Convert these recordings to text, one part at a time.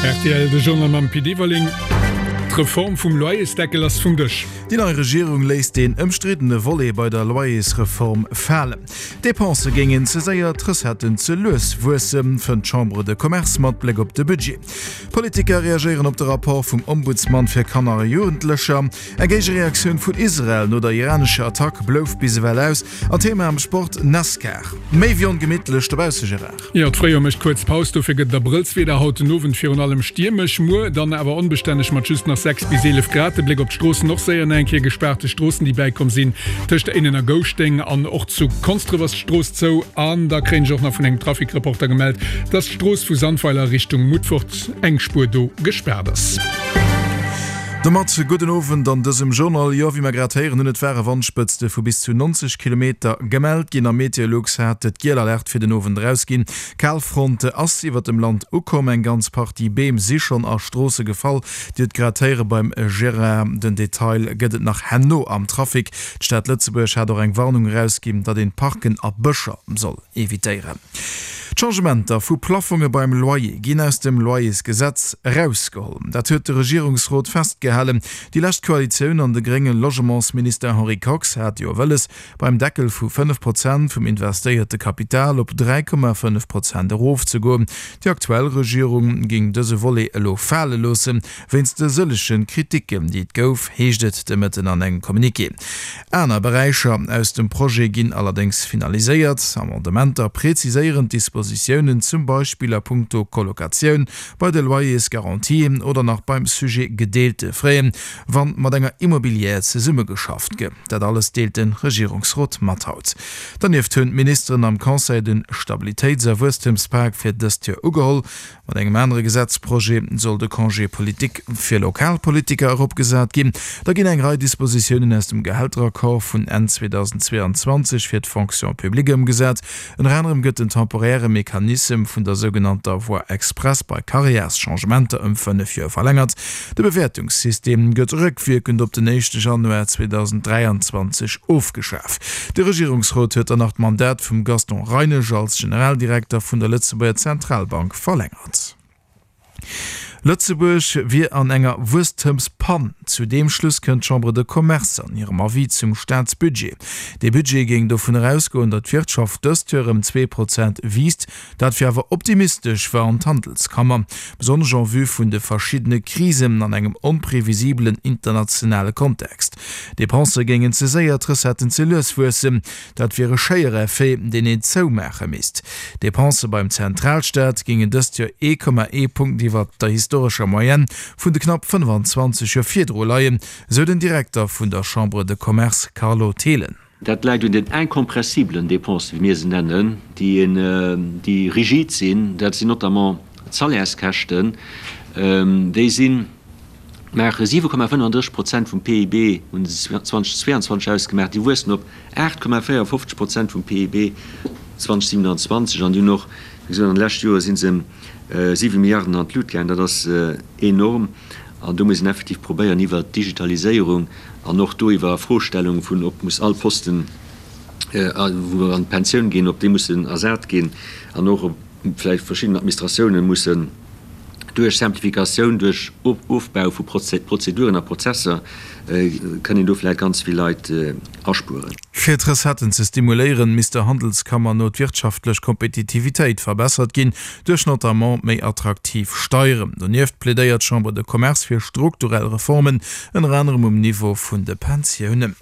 Rtl, De Journal mam Pit Everling. D'Reform vum Loyersdeckel ass vum Dësch. Déi nei Regierung léisst deen ëmstriddene Volet bei der Loyersreform falen. D'Depensë géingen ze séier, d'Recetten ze lues wuessen, fënnt d'Chambre de Commerce mat Bléck op de Budget. Politiker reagéieren op de Rapport vum Ombudsman fir Kanner a Jugendlecher. Eng Géigereaktioun vun Israel no der iranescher Attack blouf bis ewell aus. An Thema am Sport, Nascar. Méi wéi ongemittlech dobausse, Gérard. Jo, d'Fréijoer mécht kuerz Paus, dofir gëtt et Abrëllswieder. Haut den Owend virun allem stiermesch, muer dann awer onbestänneg mat just nach 6 bis 11 Grad. De Bléck op d'Stroossen, och séier nach eng Kéier gespaarte Stroossen, déi bäikomm sinn tëscht Éinen a Gouschteng an och zu Konsdref ass d'Strooss zou. An da kréien ech och nach vun engem Trafic-Reporter gemellt, dass d'Strooss vu Sandweiler Richtung Mutfert eng Spuer do gespaart ass. Domat gudden Owend an dësem Journal. Jo, wéi mer grad héieren hunn, et ware Wandspëtzte vu bis zu 90 Kilometer gemellt ginn a Meteolux hat d'giel Alerte fir den Owend erausginn. D'Kalfront ass iwwert dem Land ukomm, eng ganz Partie Beem si schonn a Stroosse gefall. Dir hutt grad héiere beim Gérard, den Detail gëtt et nach herno am Trafic. D'Stad Lëtzebuerg hat och eng Warnung erausginn, datt een Parken a Bëscher soll evitéieren. D'Changementer vu Plaffonge beim Loyer ginn aus dem Loyersgesetz erausgeholl. Dat huet de Regierungsrot festgehalen. Déi lescht Koalitioun an de grénge Logementsminister Henri Kox hat jo wëlles, beim Deckel vu 5 Prozent vum investéierte Kapital op 3,5 Prozent erofzegoen. Déi aktuell Regierung géing dëse Volet elo fale loossen, wéinst de sëllege Kriticken, déi et gouf, heescht et de Mëtten an engem Communiqué. Aner Beräicher aus dem Projet ginn allerdéngs finaliséiert. Amendementer preziséieren d'Dispositiounen, zum Beispill a puncto Colocatioun, bei de Loyers-Garantien oder nach beim Sujet gedeelte Frais, wann mat enger Immobilière zesummegeschafft gëtt. Dat alles deelt de Regierungsrot mat haut. Dernieft hunn d'Ministeren am Conseil de Stabilitéits a Wuesstemspak fir dëst Joer ugeholl. Mat engem anere Gesetzprojet soll de Congé politique fir Lokalpolitiker eropgesat ginn. Da ginn eng Rei Dispositiounen aus dem Gehälteraccord vun Enn 2022 fir d'Fonction publique ëmgesat. Ënner anerem gëtt den temporäre Mechanissem vun der sougenannter Voie express bei Karriärschangementer ëm 5 Joer verlängert. De Bewäertungssystem gëtt rëckwierkend op den éischte Januar 2023 ofgeschaf. De Regierungsrot huet dann nach d'Mandat vum Gaston Reinesch als Generaldirekter vun der Lëtzebuerger Zentralbank verlängert. Lëtzebuerg wier an enger Wuesstemspann. Zu deem Schluss kënnt d'Chambre de Commerce an hirem Avis zum Staatsbudget. Dee Budget géing dovun erausgoen, datt d'Wirtschaft dëst Joer ëm 2% wiisst. Dat wier awer optimistesch, warnt d'Handelskammer, besonnesch en vue vun de verschiddene Krisen an engem onprevisibelen internationale Kontext. D'Depensë géingen ze séier, d'Recetten ze lues wuessen. Dat wier e Schéiereffet, deen een zoumaache misst. D'Depensë beim Zentralstaat géingen dëst Joer 1,1 Punkt iwwer der historescher Moyenne vun de knapp 25 Joer virdru leien, esou den Direkter vun der Chambre de Commerce Carlo Thelen. Dat läit un den incompressiblen Dépensen, wéi mir se nennen, déi rigid sinn. Dat sinn notamment d'Salaires-Käschten. Déi si maache 7,35 Prozent vum PIB, hunn se 2022 ausgemaach. Déi wuessen op 8,54 Prozent vum PIB 2027 an déi hunn och, wéi gesot, an de leschte Jore si se ëm 7 Milliarden an d'Lut gaangen. Dat ass enorm. An do muss een effektiv probéieren, iwwert d'Digitaliséierung an och do iwwer Froestellung vun, ob muss all Posten, wou an d'Pensioun ginn, ob déi mussen ersat ginn an och ob vläicht verschidden Administratiounen mussen duerch Simplificatioun, duerch Ofbau vu Prozeduren a Prozesser, kënn een do vläicht ganz vill Leit aspueren. Fir d'Recetten ze stimuléieren, misst der Handelskammer no d'wirtschaftlech Kompetitivitéit verbessert ginn, duerch notamment méi attraktiv Steieren. Donieft plädéiert d'Chambre de Commerce fir strukturell Reformen, ënner anerem um Niveau vun de Pensiounen.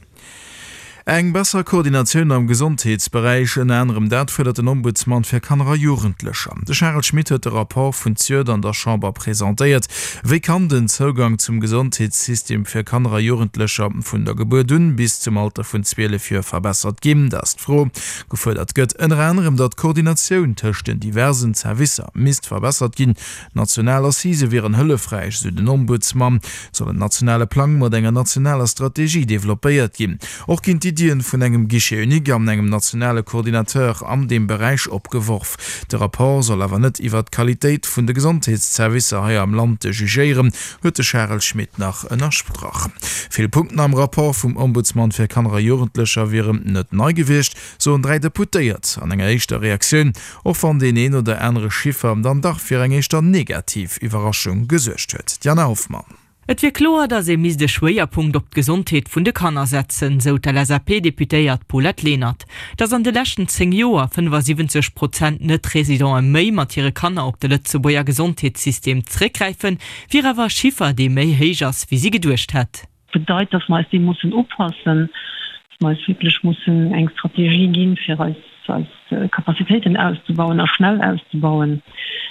Eng besser Koordinatioun am Gesondheetsberäich, ënner anerem dat fuerdert den Ombudsman fir Kanner a Jugendlecher. De Charel Schmit huet de Rapport vun zejoert an der Chamber presentéiert. Wéi kann den Zougang zum Gesondheetssystem fir Kanner a Jugendlecher vun der Gebuert un bis zum Alter vun 12 Joer verbessert ginn? Dat ass d'Fro. Gefuerdert gëtt ënner anerem, datt d'Koordinatioun tëscht den diversen Zerwisser misst verbessert ginn. National Assisë wieren hëllefräich, esou den Ombudsman. Et soll en nationale Plang mat enger nationaler Strategie developpéiert ginn. Och ginn d'Iddien. Iddien vun engem Guichet unique an engem nationale Coordinateur an deem Beräich opgeworf. De Rapport soll awer net iwwert d'Qualitéit vun de Gesondheetszervicer hei am Land jugéieren, huet de Charel Schmit nach ënnerstrach. Vill Punkten am Rapport vum Ombudsman fir Kanner a Jugendlecher wieren net nei gewiescht, soen 3 Deputéiert an enger éischter Reaktioun, och wann deen een oder anere Chiffer dann dach fir eng éischter negativ Iwwerraschung gesuergt huet. D'Jana Hoffmann. Et wier kloer, datt ee misst e Schwéierpunkt op d'Gesondheet vun de Kanner setzen, sou d'LSAP-Deputéiert Paulette Lenert. Datt an de leschten 10 Joer 75 Prozent Net-Residente méi mat hire Kanner op de Lëtzebuerger Gesondheetssystem zeréckgräifen, wier awer e Chiffer, dee méi héich ass, wéi si geduecht hätt. Bedeit, datt mer eis deem mussen upassen, datt mer eis wierklech mussen eng Strategie ginn, fir eis eis Capacitéiten auszebauen a schnell auszebauen,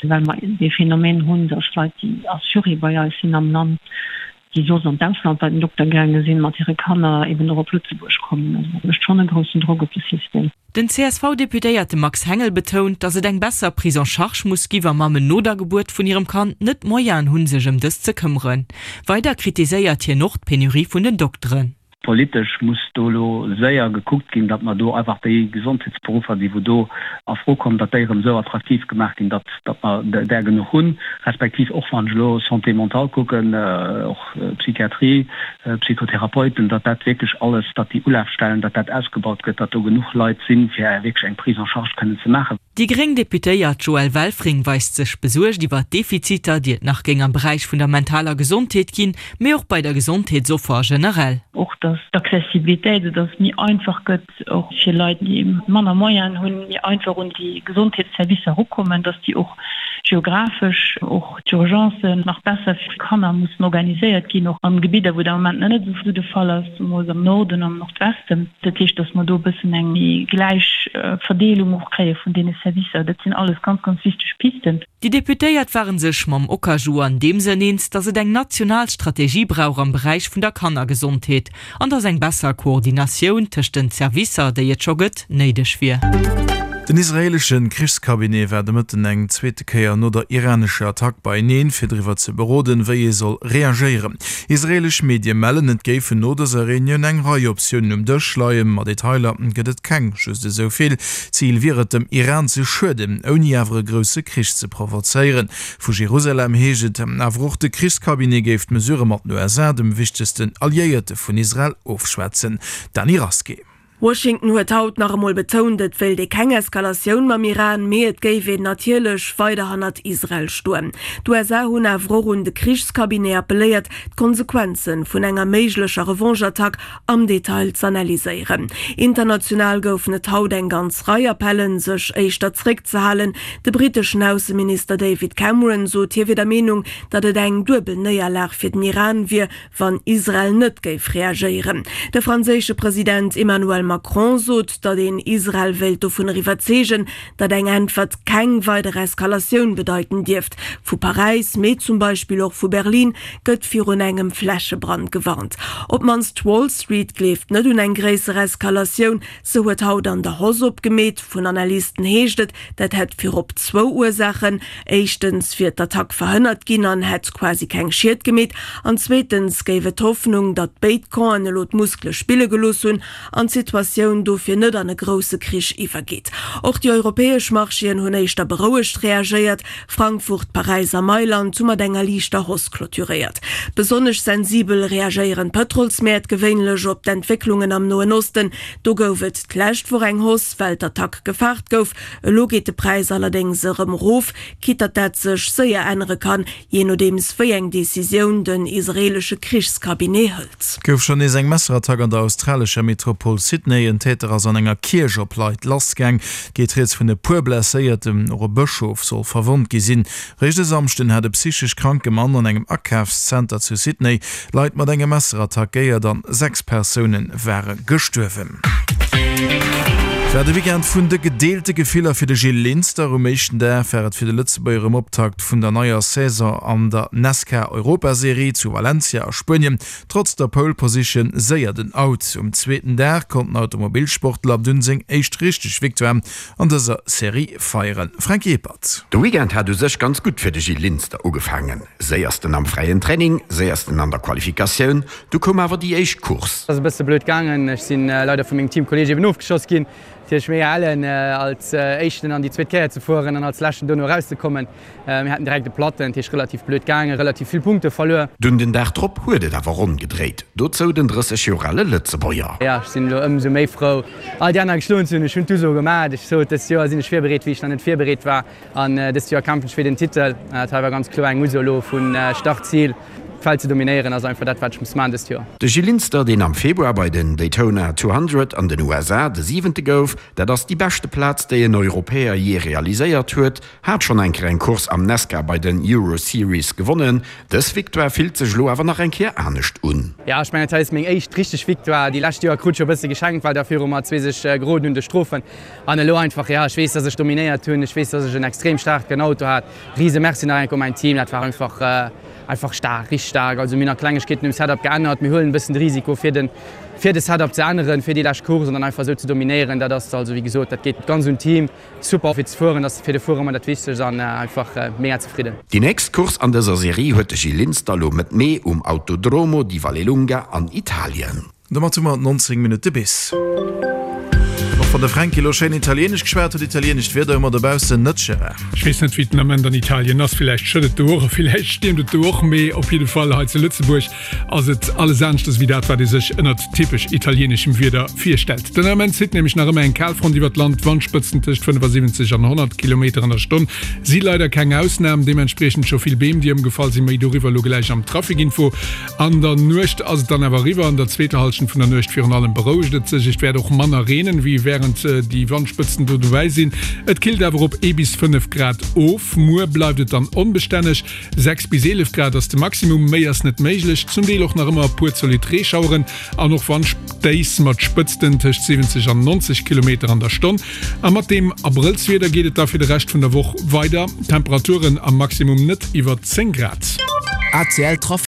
well mer dee Phänomen hunn, datt Leit, déi Assuré bei eis sinn am Land, déi soss an d'Ausland bei den Dokter gaange sinn, mat hire Kanner eben och op Lëtzebuerg kommen. Also dat mécht schonn e groussen Drock op de System. Den CSV-Deputéierte Max Hengel betount, datt et eng besser Prise en charge muss gi wa Mammen no der Gebuert vun hirem Kand net d'Moyenen hunn, sech ëm dëst ze këmmeren. Weider kritiséiert hien och d'Penurie vun den Dokteren. Politesch muss do elo séier gekuckt ginn, datt mer do einfach déi Gesondheetsberuffer, déi wou do a Fro kommen, datt déi erëm esou attraktiv gemaach ginn, datt datt mer där genuch hunn, respektiv och wann ech elo Santé mentale kucken, och Psychiatrie, Psychotherapeuten, datt dat wierklech alles, datt déi Ulafstellen, datt dat ausgebaut gëtt, datt do genuch Leit sinn, fir wierklech eng Prise en charge kënnen ze maachen. Déi gréng Deputéiert Joëlle Welfring weist sech besuergt iwwer d'Defiziter, déi et nach géing am Beräich vun der mentaler Gesondheet ginn, mee och bei der Gesondheetsoffer generell. Och datt d'Accessibilitéit, esou datt et méi einfach gëtt, och fir Leit, déi manner Moyenen hunn, méi einfach un déi Gesondheetsservicer erukommen, datt déi och geographesch, och d'Urgencen nach besser fir Kanner mussen organiséiert ginn, och an Gebidder, wou dat am Moment nach net esou de Fall ass, zemools am Norden, am Nordwesten. Dat heescht, dass mer do e bëssen eng méi gläich Verdeelung och kréie vun deene Servicer. Dat sinn alles ganz, ganz wichteg Pisten. Déi Deputéiert ware sech mam Okaju an deem Sënn eens, datt et eng national Strategie brauch am Beräich vun der Kannergesondheet an datt eng besser Koordinatioun tëscht den Zerwisser, déi et scho gëtt, néideg wier. Den israeelesche Krichscabinet war de Mëtten eng zweete Kéier no der iranescher Attack beieneen, fir driwwer ze beroden, wéi ee soll reagéieren. Israeelesch Medie mellen, et géifen no dëser Reunioun eng Rei Optiounen um Dësch leien, ma Detailer gëtt et keng. Just esou vill, Zil wier et, dem Iran ze schueden, ouni awer e grousse Krich ze provozéieren. Vu Jerusalem heescht et awer och, de Krichscabinet géif d'Mesurë mat den USA, dem wichtegsten Alliéierte vun Israel, ofschwätzen. Dany Rasqué. Washington huet haut nach emol betount, et wéilt ee keng Eskalatioun mam Iran, mee et géif een natierlech weider hannert Israel stoen. D'USA hunn awer och un de Krichscabinet appelléiert, d'Konsequenze vun enger méiglecher Revanche-Attack am Detail z'analyséieren. International goufen et haut eng ganz Rei Appellen, sech éischter zréckzehalen. De britteschen Ausseminister David Cameron sot, hie wier der Meenung, datt et eng duebel Néierlag fir den Iran wier, wann Israel net géif reagéieren. De franséische President Emmanuel Macron sot, datt een Israel wéilt dovunner iwwerzeegen, datt eng Äntwert keng weider Eskalatioun bedeiten dierft. Vu Paräis, mee zum Beispill och vu Berlin gëtt virun engem Flächebrand gewarnt. Op d'mannst d'Wall Street gleeft net un eng gréisser Eskalatioun. Se huet haut an der Hausse opgemeet. Vun Analysten heescht et, dat hätt virop zwou Ursaachen, Éischtens wier d'Attack verhënnert ginn an hätt quasi keng Schied gemeet an zweetens géif et d'Hoffnung, datt béid Campen elo d'Muskele spille gelooss hunn an d'Situatioun dofir net an e grousse Krich iwwergeet. Och déi europäesch Marchéen hunn éischter berouegt reagéiert. Frankfurt, Paräis a Mailand hu mat enger liichter Hausse clôturéiert. Besonnesch sensibel reagéieren d'Pëtrolsmäert gewéinlech op d'Entwécklungen am Noen Osten. Do gouf et d'lescht Woch eng Hausse, well d'Attack gefaart gouf. Elo geet de Präis allerdéngs erëm erof, quitte datt dat sech séier ännere kann, jee nodeems wéi eng Decisioun den israeelesche Krichscabinet hëlt. Gouf schonn nees eng Messerattack an der australescher Metropol Sydney. En Täter ass an enger Kierch op Leit lassgaang. Geet rieds vun e puer Blesséierten, och e Bëschof soll verwonnt gi sinn. Réischt e Samschden hat e psychesch kranke Mann an engem Akafszenter zu Sydney Leit mat engem Messer attackéiert an 6 Persoune ware gestuerwen. Et war de Weekend vun de gedeelte Gefiller fir de Gil Linster. Um éischten Dag war et fir de Lëtzebuerger um Optakt vun der neier Saison an der Nascar Europaserie zu Valencia a Spuenien trotz der Pole Position séier den Out. Um zweeten Dag konnt den Automobilsportler dunn seng éischt richteg Victoire an dëser Serie feieren. Franky Ebert. De Weekend hat u sech ganz gutt fir de Gil Linster ugefaangen. Séiersten am fräien Training, séiersten an der Qualifikatioun, du koum awer déi éischt Course. Ass e bësse blöd gaangen. Ech sinn leider vu mengem Teamkolleeg eben ofgeschoss ginn. Natierlech mega ellen als éischten an déi zweet Kéier ze fueren an als leschten dono erauszekommen. Mir haten direkt e Platten, dat heescht relativ blöd gaangen, relativ vill Punkte verluer. Dunn den Dag drop huet et awer ronn gedréit, dozou den 30 Joer ale Lëtzebuerger. Jo, ech sinn elo ëmsou méi frou, all déi aner geschloen ze hunn. Ech hunn d'Uso gemaach. Ech sot, dëst Joer sinn ech virbereet, wéi ech nach net virbereet war. An dëst Joer kämpfen ech fir den Titel. Dat hei war ganz kloer eng Uso elo vu Start, Zil. D'Feld ze dominéieren ass einfach dat, wat ech muss maachen dëst Joer. De Gil Linster, deen am Februar bei den Daytona 200 an den USA de Siwente gouf, dat ass déi beschte Plaz, déi en Europäer jee realiséiert huet, Hat schonn eng Kéier eng Course am Nascar bei den Euro Series gewonnen. Dës Victoire fillt sech elo awer nach eng Kéier anescht un. Jo, ech mengen, dat hei ass meng éischt richteg Victoire. Déi lescht Joer krut ech jo e bësse geschenkt, well da viru mer zwee sech geroden hunn duerch Strofen. An elo einfach, jo, ech weess, dass ech dominéiert hunn. Ech weess, dass ech en extrem staarken Auto hat. Rise Merci nach eng Kéier u mäin Team. Dat war einfach, einfach staark, richteg staark. Also mir hunn nach Klengegkeeten um Setup geännert. Mir huelen e bëssen de Risiko fir den, fir de Setup ze änneren, fir déi lescht Course an dann einfach esou ze dominéieren. Dat ass also, wéi gesot, dat geet ganz un d'Team. Super fir ze fueren, ass fir de Fuerer ëmmer dat Wichtegst an einfach mega zefridden. Déi nächst Course an dëser Serie huet de Gil Linster lo Mëtt Mee um Autodromo di Vallelunga an Italien. Domat hu mer 19 Minutte bis. Och wann de Fränki elo schéin Italienesch geschwat huet, italienescht Wieder hu mer dobaussen net, Gérard. Ech weess net, wéi et den Ament an Italien ass. Villäicht schëtt et do och a villäicht stiermt et do och, mee op jidde Fall hei zu Lëtzebuerg ass et alles aneschters wéi dat, wat ee sech ënnert typesch italieeneschem Wieder virstellt. Den Ament zitt nämlech nach ëmmer eng Kalfront iwwert d'Land, Wandspëtzen tëscht 75 an 100 Kilometer an der Stonn si leider keng Ausnam, deementspriechend scho vill Beem, déi ëmgefall sinn. Méi doriwwer elo gläich am Traficinfo. An der Nuecht ass et dann awer eriwwer, an der zweeter Hallschent vun der Nuecht virun allem berouegt et sech. Et wäert och manner reenen, wéi wärend déi Wandspëtzen do dobäi sinn. Et killt awer op ee bis 5 Grad of. Muer bleift et dann onbestänneg. 6 bis 11 Grad ass de Maximum, méi ass net méiglech. Zum Deel och nach ëmmer e puer zolidd Reeschaueren an och Wandstéiss mat Spëtzten tëscht 70 an 90 Kilometer an der Stonn. A mat deem Abrëllswieder geet et da fir de Rescht vun der Woch weider, Temperaturen am Maximum net iwwer 10 Grad. ACL Trafic.